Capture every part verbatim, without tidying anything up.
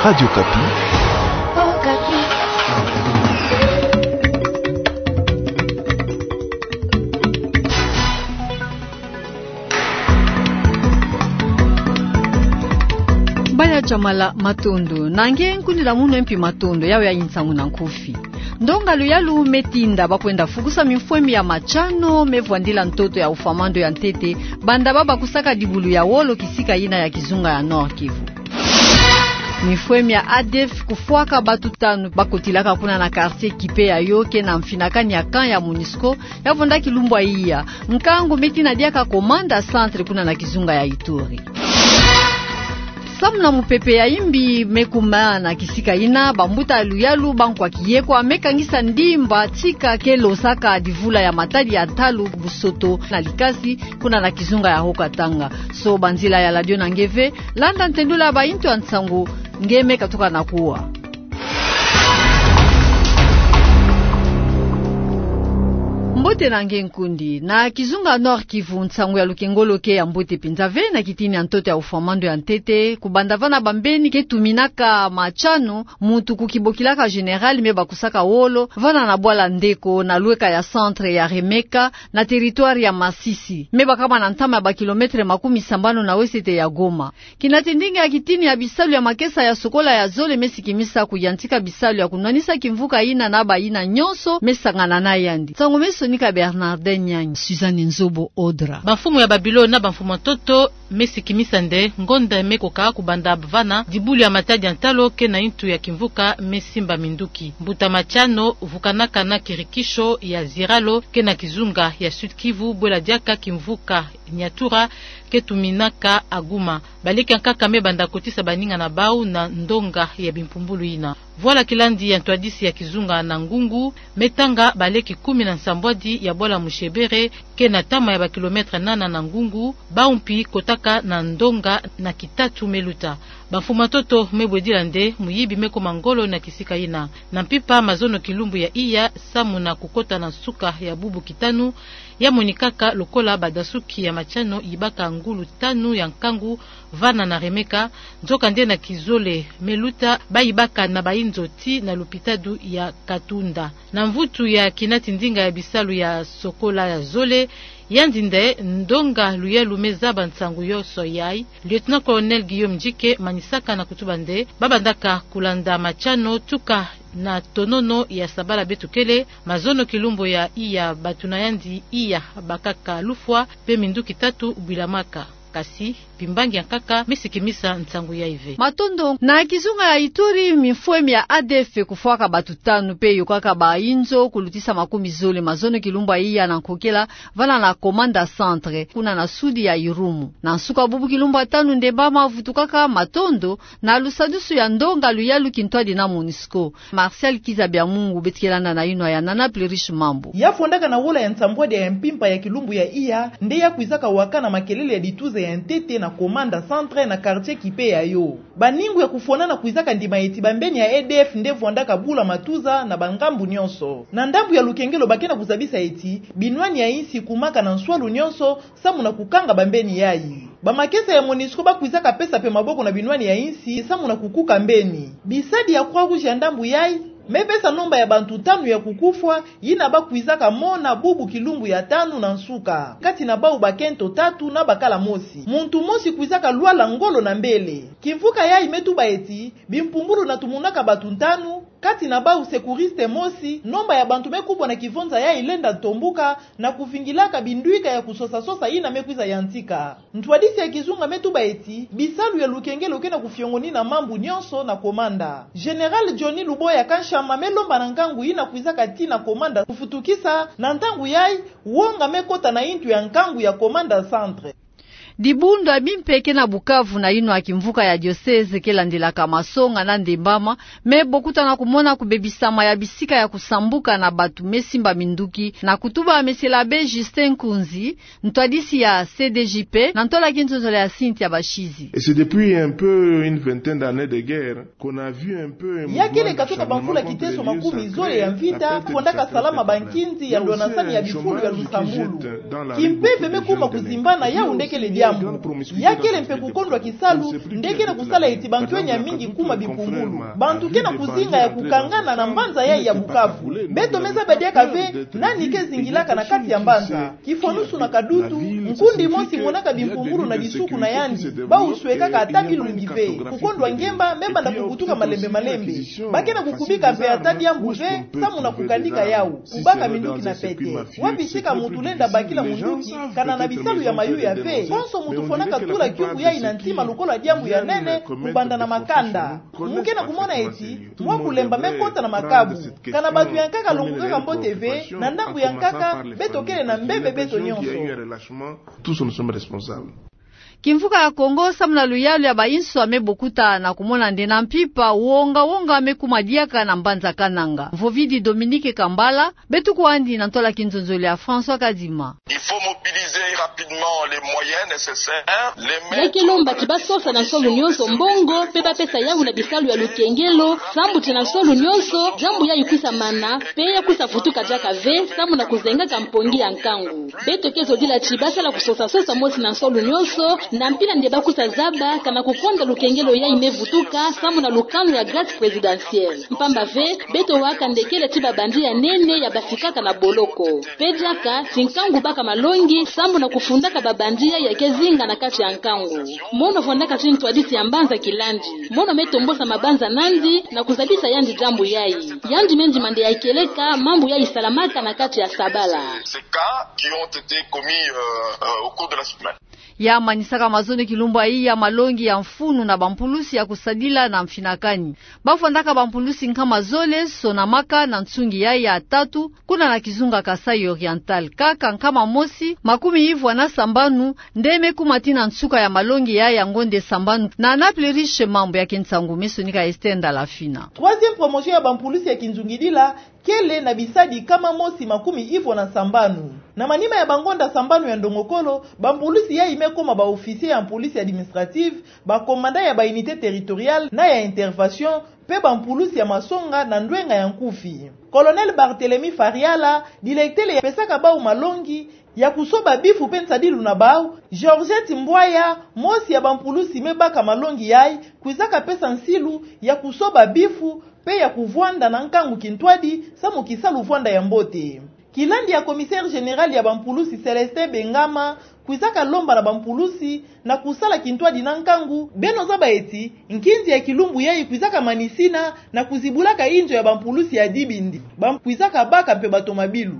Radio Okapi. Baya Jamala, matondo. Na nge nkundi na munu mpi matondo, yawe ya nsangu na nkufi. Ndonga luyalu me tinda ba kwenda fukusa mimfwemi ya machano me vwandila ntoto ya ufwa mando ya ntete, banda ba bakusaka dibulu ya wolo kisika yina ya kizunga ya Nord-Kivu. Mimfwemi ya A D F kufwaka batu tanu ba kotilaka kuna na quartier Kipe ya yo ke na mfinakani ya camp ya MONUSCO, ya vwanda kilumbu ya iya. Nkangu me tina diaka commandant centre kuna na kizunga ya Ituri. Samu na mupepe ya imbi me kuma na kisika yina, bambuta luyalu ba nkwa kiyekwa me kangisa ndimba tika ke losaka divula ya matadi ya ntalu, busoto na likasi kuna na kizunga ya Haut-Katanga. Soba nzila ya radio na nge ve, landa ntendula ya bayintu ya nsangu nge me katuka na kuwa. Mbote na nge nkundi. Na kizunga Nord-Kivu, nsangu ya lukengolo ke ya mbote mpinza ve na kitini ya ntoto ya ufwa mando ya ntete, kubanda vana bambeni ke tuminaka machano, muntu kukibokilaka général me bakusaka wolo, vana na bwala Ndeko, na lweka ya centre ya Remeka, na territoire ya Masisi, me bakama na ntama ya ba kilomètre makumi sambanu na wesete ya Goma. Kina tindinga ya kitini ya bisalu ya makesa ya sokola ya zole me sikimisa kuyantika bisalu ya kunwanisa kimvuka yina na bayina nyonso me sangana na yandi. Nsangu me sonika Bernardin Nyangi, Suzanne Nzobo Odra. Bamfumu ya Babilone na bamfumu ya ntoto me sikimisa nde ngonda me koka kubanda vana dibulu ya matadi ya ntalu ke na yintu ya kimvuka me simba minduki. Mbuta machano vukanaka na kirikisho ya Ziralo ke na kizunga ya Sud-Kivu, bwela diaka kimvuka Nyatura ke tuminaka Goma. Baleke ya nkaka me banda kotisa baninga na bau na ndonga ya bimpumbulu yina. Vwala kilandi ya ntwadisi ya kizunga na ngungu, me tanga baleke kumi na nsambwadi ya bwala Mushebere, ke na ntama ya ba kilomètre nana na ngungu, bau mpi kotaka na ndonga na kitatu me luta. Bamfumu ya ntoto me bwedila nde muyibi me kuma ngolo na kisika yina. Na mpimpa mazono kilumbu ya iya, samu na kukota na nsuka ya bubu kitanu, ya monikaka lokola badasuki ya machano yibaka ngulu tanu ya nkangu vana na Remeka, nzokande na kizole me luta, bayibaka na bayinzo tii na lupitalu ya Katunda. Na mvutu ya kina tindinga ya bisalu ya sokola ya zole, yandi nde ndonga luyalu me zaba nsangu yonso yai, Lieutenant-colonel Guillaume Ndjike manisaka na kutuba nde, babandaka kulanda machano tuka na tonono ya sabala beto kele, mazono kilumbu ya iya bato na yandi iya bakaka lufwa, pe minduki tatu bwilamaka. Kasi bimbangi ya nkaka me sikimisa nsangu yai ve. Matondo. Na kizunga ya Ituri, mimfwemi ya A D F kufwaka bato tanu pe yokaka bayinzo kulutisa makumi zole mazono kilumbu ya iya na nkokela, vana na Komanda Centre, kuna na sudi ya Irumu. Na nsuka bubu kilumbu ya tanu ndembama vutukaka matondo, na lusadusu ya ndonga luyalu kintwadi na MONUSCO. Martial Kiza Biamungu beto ke landa na yinwa ya Nana Plurish Mambu. Ya fondaka na wola ya nsambwadi ya mpimpa ya kilumbu ya iya, nde ya kwizaka wakana makelele ya dituza ya ntete na Komanda Centre na quartier Kipe ya yo. Baningu ya kufwanana kwizaka ndima eti bambeni ya A D F nde vwandaka bula matuza na bangambu nyonso. Na ndambu ya lukengelo ba ke na kuzabisa eti, binwani ya insi kumaka na nswalu nyonso, samu na kukanga bambeni yai. Bamakesa ya MONUSCO ba kwizaka pesa pe maboko na binwani ya insi, samu na kukuka mbeni. Bisadi ya Croix-Rouge ya ndambu yai me pesa nomba ya bantu tanu ya kukufwa, yina ba kwizaka mona bubu kilumbu ya tanu na nsuka. Kati na bau bakento tatu na bakala mosi. Muntu mosi kwizaka lwala ngolo na mbele. Kimvuka yai me tuba eti, bimpumbulu na tumunaka bato ntanu, kati na bau secouriste mosi, nomba ya bantu me kubwa na kivonza yai lenda ntombuka, na kuvingilaka bindwika ya kusosa-sosa yina me kwiza yantika. Ntwadisi ya kizunga me tuba eti, bisalu ya lukengelo ke na kufiongonina mambu nyonso na Komanda. Général Johnny Luboya Kanshama me lomba na nkangu yina kwizaka tii na Komanda kufutukisa, na ntangu yai, wonga me kota na yintu ya nkangu ya Komanda Centre. Dibundu ya bimpe ke na Bukavu na yinwa kimvuka ya diocèse ke landilaka masonga na ndembama, me bokutana kumona kubebisama ya bisika ya kusambuka na bato me simba minduki, na kutuba Monsieur l'abbé Justin Nkunzi, ntwadisi ya C D J P, na ntola kinzonzolo ya Cynthia Bashizi. Et c'est depuis un peu une vingtaine d'années de guerre qu'on a vu un peu un mouvement de changement contre les lieux sacrés, la perte de certaines personnes. Ya kele katoka bamvula kiteso makumi zole ya mvita, fondaka salama bankinzi ya ndwanasani ya bifulu ya lusambulu. Kimpeve me kuma kuzimbana, yau nde kele diaka. yambu. Ya kele mpe kukondwa kisalu, nde ke na kusala eti bantu enya mingi kuma bikungulu. Bantu ke na kuzinga ya kukangana na mbanza yayi ya Bukavu. Beto me zaba diaka ve nani ke zingilaka na kati ya mbanza. Kifwanusu na Kadutu, nkundi mosi monaka bikungulu na disuku na yandi, bau swekaka ata bilumbu ve. Kukondwa ngemba me banda kubutuka malembe malembe. Ba ke na kukubika mpe ata diambu ve, samu na kukanika yau, kubaka minduki na pete. Wapi sika muntu lenda bakila munduki, kana na bisalu ya mayuya ve? Konso muntu fwanaka tula kiuvu yayi na ntima lokola diambu ya nene, kubanda na makanda. Mu ke na kumona eti mwa kulemba me kota na makabu. Kana bantu ya nkaka longukaka mbote ve, na ndambu ya nkaka, beto kele na mbebe beto nyonso. Kimvuka ya Kongo, samu na luyalu ya bayinswa me bokuta na kumona nde na mpimpa, wonga-wonga me kuma diaka na mbanza Kananga. Mvovidi Dominique Kambala, beto kwandi na ntwala kinzonzolo ya François Kadima. Il faut mobiliser rapidement les moyens nécessaires. Ya ke lomba ti ba sosa na nsolo nyonso mbongo, mpe ba pesa yau na bisalu ya lukengelo, sambu ti na nsolo nyonso, diambu yayi kwisa mana, mpe ya kwisa vutuka diaka ve, samu na kuzengaka mpongi ya nkangu. Beto ke zodila ti ba sala kusosa-sosa mosi na nsolo nyonso, na mpila nde ba kwisa zaba, kana kukonda lukengelo yayi me vutuka, samu na lukanu ya grâce présidentielle. Mpamba ve, beto waka nde kele ti ba bandit ya nene ya basikaka na boloko. Mpe diaka, ti nkangu baka malongi, samu na kufundaka ba bandit yayi ya ke zinga na kati ya nkangu. Mono fwandaka ti ntwadisi ya mbanza Kilandi. Mono me tombosa mabanza nandi, na kuzabisa yandi diambu yayi. Yandi me ndima nde ya kieleka mambu yayi salamaka na kati ya sabala. Ces cas qui ont été commis, euh, euh, au cours de la semaine. Ya manisaka mazono kilumbu yayi ya malongi ya mfunu na bampulusi ya kusadila na mfinakani. Ba fwandaka bampulusi nkama zole sonamaka na nsungi yayi ya tatu, kuna na kizunga Kasaï Oriental. Kaka nkama mosi, makumi ivwa na sambanu, nde me kuma tii na nsuka ya malongi yayi ya ngonde sambanu. Na Naples Riche, mambu ya kinsangu me sonika Esther Ndalafina. Troisième promotion ya bampulusi ya kinzungidila, kele na bisadi nkama mosi makumi ivwa na sambanu. Na manima ya bangonda sambanu ya ndongokolo, bampulusi yayi me koma ba officiers ya police administrative, ba commandants ya ba unités territoriales na ya intervention, mpe bampulusi ya masonga na ndwenga ya nkufi. Colonel Barthélemy Fariala, directeur ya pesaka bau malongi ya kusoba bifu mpe nsadilu na bau, Georgette Mbwaya, mosi ya bampulusi me baka malongi yayi, kwizaka pesa nsilu ya kusoba bifu mpe ya kuvwanda na nkangu kintwadi, samu kisalu vwanda ya mbote. Kilandi ya commissaire général ya bampulusi Célestin Bengama, kwizaka lomba na bampulusi na kusala kintwadi na nkangu, beno zaba eti nkinzi ya kilumbu yayi kwizaka manisina na kuzibulaka inzo ya bampulusi ya Dibindi. Ba kwizaka baka mpe batomabilu.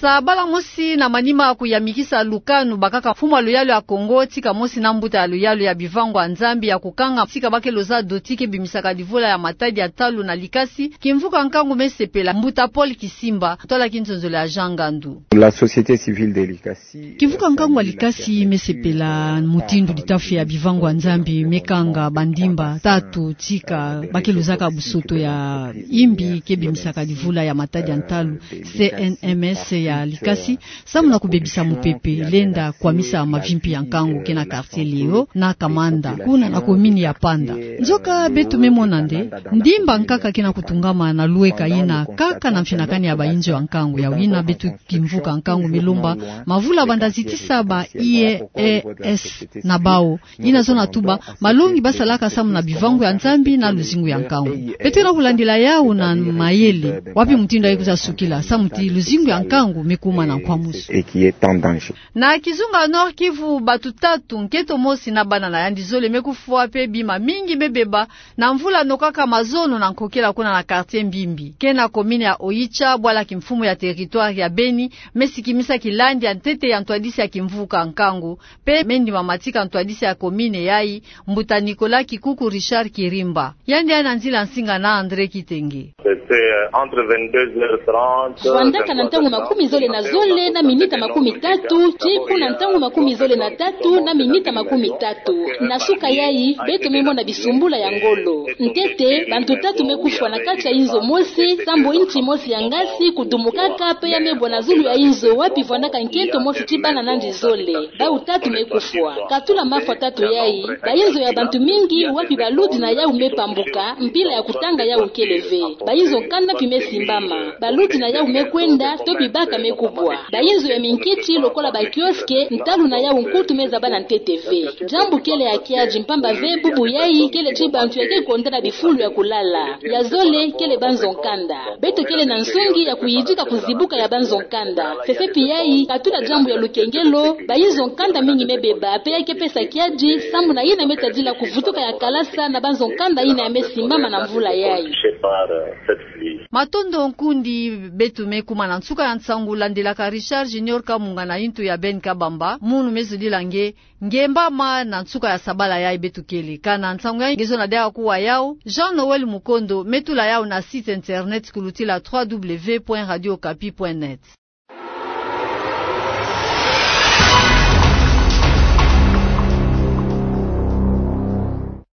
Sabala mosi na manima kuyamikisa lukanu bakaka mfumu ya luyalu ya Kongo, tika mosi na mbuta ya luyalu ya Bivangwa Nzambi ya kukanga sika ba ke loza doti ke bimisaka livula ya matadi ya ntalu na Likasi, kimvuka nkangu me sepela. Mbuta Paul Kisimba, ntwala kinzonzolo ya Jean Ngandu. La société civile de Likasi. Kimvuka nkangu ya Likasi me sepela mutindu litafi ya Bivangwa Nzambi me kanga bandimba tatu tika ba ke luzaka busoto ya imbi ke bimisaka livula ya matadi ya ntalu, C N M S ya Likasi, samu na kubebisa mupepe lenda kwamisa mavimpi ya nkangu ke na quartier Léo na Kamanda, kuna na commune ya Panda. Nzoka beto me mona nde ndimba nkaka ke na kutungama na lweka yina kaka na mfinakani ya bainzo ya nkangu. Ya wina beto kimvuka nkangu me lomba mavula banda zitisa ba I E S na bau, yina zona tuba malongi ba salaka samu na Bivangwa Nzambi na luzingu ya nkangu. Beto ke na kulandila yau na mayele, wapi mutindu yayi kwiza sukila, samu ti luzingu ya nkangu me kuma na nkwamusu. Na kizunga Nord-Kivu, batu tatu, nkento mosi na bana na yandi zole me kufwa mpe bima mingi me beba na mvula nokaka mazono na nkokela kuna na quartier Mbimbi, ke na commune ya Oicha, bwala kimfumu ya territoire ya Beni, me sikimisa kilandi ya ntete ya ntwadisi ya kimvuka nkangu, mpe me ndima matika ntwadisi ya commune yayi, mbuta Nicolas Kikuku Richard Kirimba. Yandi ya na nzila nsinga na André Kitenge. C'était, euh, entre vingt-deux heures trente. Vwandaka na ntangu makumi zole na zole na minita makumi tatu, tii kuna ntangu makumi zole na tatu na minita makumi tatu. Na suka yayi, beto me mona bisumbula ya ngolo. Ntete, bantu tatu me kufwa na kati ya inzo mosi, sambu nti mosi ya ngasi kudumukaka, mpe ya me bwa na zulu ya inzo wapi vwandaka nkento mosi tii bana nandi zole. Bau tatu me kufwa. Katula mafwa tatu yayi, bainzo ya bantu mingi wapi baludi na yau me pambuka, mpila ya kutanga yau kele ve. Bainzo nkanda mpi me simbama. Baludi na yau me kwenda, to mpi baka me kubwa. Bayinzo ya minkiti lokola ba kiosque, ntalu na yawu nkutu me zaba na ntete ve. Diambu kele ya kiadi mpamba ve bubu yayi kele ti bantu ya ke konda na bifulu ya kulala. Ya zole kele banzo nkanda. Beto kele na nsongi ya kuyidika kuzibuka ya banzo nkanda. Fefepi yayi, katula diambu ya lukengelo, bayinzo nkanda mingi me beba, pe ya ke pesa kiadi, sambu na yina me tadila kuvutuka ya kalasa na banzo nkanda yina ya me simbama na mvula yayi. Matondo nkundi, beto me kuma na nsuka ya nsangu, landelaka Richard Junior Kamunga na yintu ya Ben Kabamba, munu me zudila nge, nge mbama na nsuka ya sabala yayi beto kele. Kana nsangu yayi nge zona diaka kuwa yawu, Jean Noël Mukondo, me tula yawu na site internet kulutila trois W point radio okapi point net.